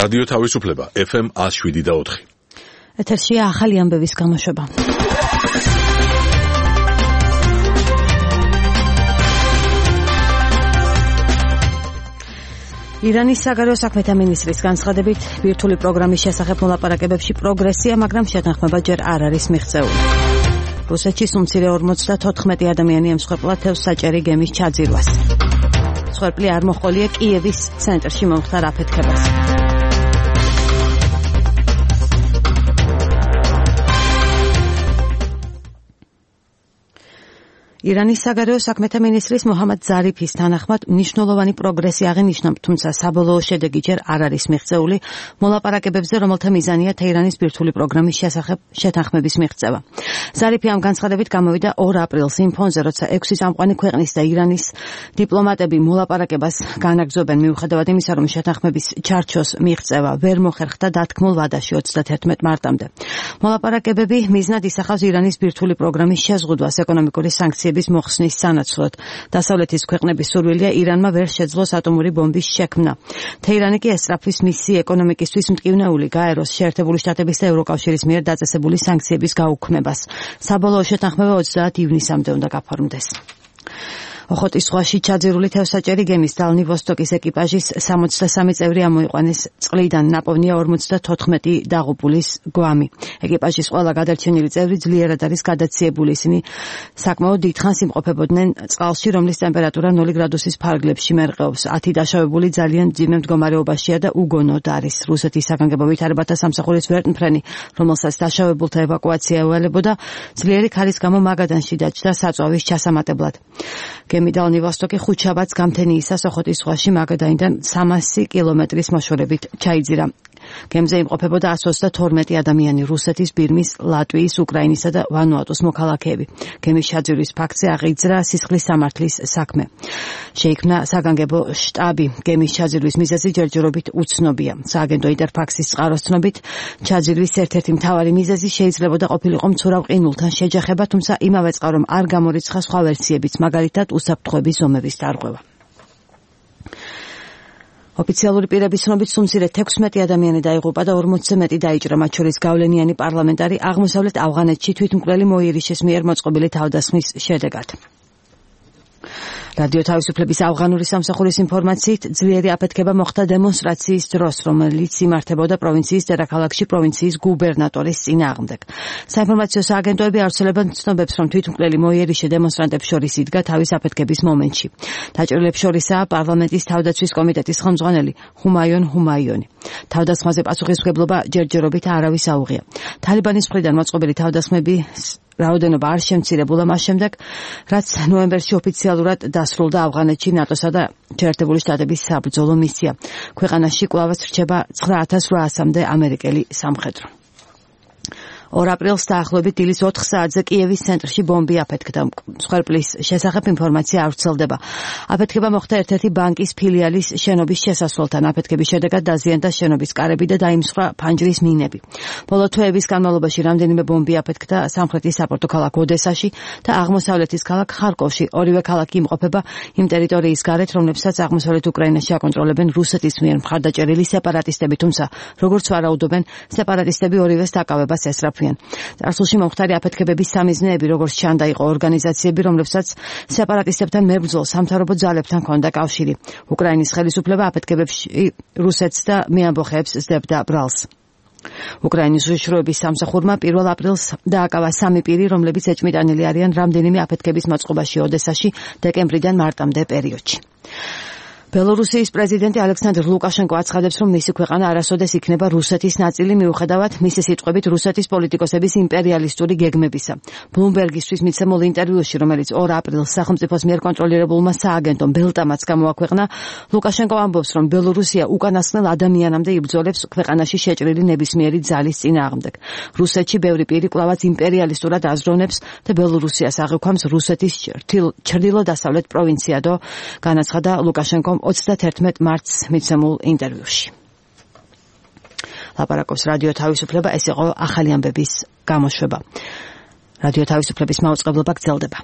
რადიო თავისუფლება FM 107.4. ეთერშია ახალი ამბების გამოშვება. ირანის საგარეო საქმეთა მინისტრის განცხადებით, ბირთვული პროგრამის შესახებ მოლაპარაკებებში პროგრესია, მაგრამ შეთანხმება ჯერ არ არის მიღწეული. რუსეთში სუმცირე 54 ადამიანი ემსხვერპლა თევზ საჭერი გემის ჩაძირვას. მსხვერპლი არ მოჰყოლია კიევის ცენტრში მომხდარ აფეთქებას. ირანის საგარეო საქმეთა მინისტრის მოჰამად ზარიფის თანახმად მნიშვნელოვანი პროგრესი აღინიშნა, თუმცა საბოლოო შედეგი ჯერ არ არის მიღწეული მოლაპარაკებებზე, რომელთა მიზანია თეირანის ბირთვული პროგრამის შესახებ შეთანხმების მიღწევა. ზარიფი ამ განცხადებით გამოვიდა 2 აპრილს იმ ფონზე, როცა 6 წამყვანი ქვეყნის და ირანის დიპლომატები მოლაპარაკებას განაგრძობენ, მიუხედავად იმისა, რომ შეთანხმების ჩარჩოს მიღწევა ვერ მოხერხდა დათქმულ ვადაში 31 მარტამდე. მოლაპარაკებები მიზნად ისახავს ირანის ბირთვული პროგრამის შეზღუდვას ეკონომიკური სანქციების მოხსნის სანაცვლოდ. დასავლეთის ქვეყნების სურვილია ირანმა ვერ შეძლოს ატომური ბომბის შექმნა. თეირანი კი ესწრაფვის მისი ეკონომიკისთვის მტკივნეული გაეროს, შეერთებული შტატების და ევროკავშირის მიერ დაწესებული სანქციების გაუქმებას. საბოლოო შეთანხმება 30 ივნისამდე უნდა გაფორმდეს. ოხოტის ზღვაში ჩაძირული თევზსაჭერი გემის დალნი ვოსტოკის ეკიპაჟის 63 წევრი ამოიყვანეს წყლიდან, ნაპოვნია 54 დაღუპულის გვამი. ეკიპაჟის ყველა გადარჩენილი წევრი ძლიერად არის გადაციებული, ისინი საკმაოდ დიდხანს იმყოფებოდნენ წყალში, რომლის ტემპერატურა 0 გრადუსის ფარგლებში მერყეობს. 10 დაშავებული ძალიან მძიმე მდგომარეობაშია და უგონოდ არის. რუსეთის საგანგებო ვითარებათა სამსახურის ვერტმფრენი, რომელსაც დაშავებულთა ევაკუაცია ევალებოდა, ძლიერი ქარის გამო მაგადანში დაჯდა საწვავის ჩასამატებლად. გემი დალნი ვოსტოკი ხუთშაბათს გამთენიისას ოხოტის ზღვაში მაგადანიდან 300 კილომეტრის მოშორებით ჩაიძირა. გემზე იმყოფებოდა 122 ადამიანი, რუსეთის, ბირმის, ლატვიის, უკრაინისა და ვანუატუს მოქალაქეები. გემის ჩაძირვის ფაქტზე აღიძრა სისხლის სამართლის საქმე. შეიქმნა საგანგებო შტაბი. გემის ჩაძირვის მიზეზი ჯერჯერობით უცნობია. სააგენტო ინტერფაქსის წყაროს ცნობით, ჩაძირვის ერთ-ერთი მთავარი მიზეზი შეიძლებოდა ყოფილიყო მცურავ ყინულთან შეჯახება, თუმცა იმავე წყარომ არ გამორიცხა სხვა ვერსიებიც, მაგალითად უსაფრთხოების ზომების დარღვევა. ოფიციალური პირების ცნობით სუმცირე 16 ადამიანი დაიღუპა და 40-ზე მეტი დაიჭრა, მათ შორის გავლენიანი პარლამენტარი აღმოსავლეთ ავღანეთში თვითმკვლელი მოიერიშის მიერ მოწყობილი თავდასხმის შედეგად. რადიო თავისუფლების ავღანური სამსახურის ინფორმაციით, ძლიერი აფეთქება მოხდა დემონსტრაციის დროს, რომელიც იმართებოდა პროვინციის დედაქალაქში პროვინციის გუბერნატორის წინააღმდეგ. საინფორმაციო სააგენტოები ავრცელებენ ცნობებს, რომ თვითმკვლელი მოიერიშე დემონსტრანტებს შორის იდგა თავის აფეთქების მომენტში. დაჭრილებს შორისაა პარლამენტის თავდაცვის კომიტეტის ხელმძღვანელი ჰუმაიონ ჰუმაიონი. თავდასხმაზე პასუხისმგებლობა ჯერჯერობით არავის აუღია. თალიბანის მხრიდან მოწყობილი თავდასხმების რაოდენობა არ შემცირებულა მას შემდეგ, რაც ნოემბერში ოფიციალურად დასრულდა ავღანეთში ნატოსა და შეერთებული შტატების საბრძოლო მისია. ქვეყანაში კვლავაც რჩება 9800-მდე ამერიკელი სამხედრო. 2 აპრილს დაახლოებით დილის 4 საათზე კიევის ცენტრში ბომბი აფეთქდა. მსხვერპლის შესახებ ინფორმაცია არ ვრცელდება. აფეთქება მოხდა ერთ-ერთი ბანკის ფილიალის შენობის შესასვლელთან. აფეთქების შედეგად დაზიანდა შენობის კარები და დაიმსხვრა ფანჯრის მინები. ბოლო თვეების განმავლობაში რამდენიმე ბომბი აფეთქდა სამხრეთის საპორტო ქალაქ ოდესაში და აღმოსავლეთის ქალაქ ხარკოვში. ორივე ქალაქი იმყოფება იმ ტერიტორიის გარეთ, რომლებსაც აღმოსავლეთ უკრაინაში აკონტროლებენ რუსეთის მიერ მხარდაჭერილი სეპარატისტები, თუმცა როგორც ვარაუდობენ, სეპარატისტები ორივეს დაკავებას ესწრაფვიან. წარსულში მომხდარი აფეთქებების სამიზნეები, როგორც ჩანდა, იყო ორგანიზაციები, რომლებსაც სეპარატისტებთან მებრძოლ სამთავრობო ძალებთან ჰქონდა კავშირი. უკრაინის ხელისუფლება აფეთქებებში რუსეთს და მეამბოხეებს სდებდა ბრალს. უკრაინის უშიშროების სამსახურმა 1 აპრილს დააკავა 3 პირი, რომლებიც ეჭმიტანილი არიან რამდენიმე აფეთქების მოწყობაში ოდესაში დეკემბრიდან მარტამდე პერიოდში. ბელორუსიის პრეზიდენტი ალექსანდრ ლუკაშენკო აცხადებს, რომ მისი ქვეყანა არასოდეს იქნება რუსეთის ნაწილი, მიუხედავად მისი სიტყვებით რუსეთის პოლიტიკოსების იმპერიალისტური გეგმებისა. ბლუმბერგისთვის მიცემულ ინტერვიუში, რომელიც 2 აპრილს სახელმწიფოს მიერ კონტროლირებულმა სააგენტომ ბელტამაც გამოაქვეყნა, ლუკაშენკო ამბობს, რომ ბელორუსია უკანასკნელ ადამიანამდე იბრძოლებს ქვეყანაში შეჭრილი ნებისმიერი ძალის წინააღმდეგ. რუსეთში ბევრი პირი კვლავაც იმპერიალისტურად აზროვნებს და ბელორუსიას აღიქვამს რუსეთის ჩრდილო-დასავლეთ პროვინციადო, განაცხადა ლუკაშენკომ 31 მარტს მიცემულ ინტერვიუში. ლაპარაკობს რადიო თავისუფლება, ეს იყო ახალი ამბების გამოშვება. რადიო თავისუფლების მაუწყებლობა გრძელდება.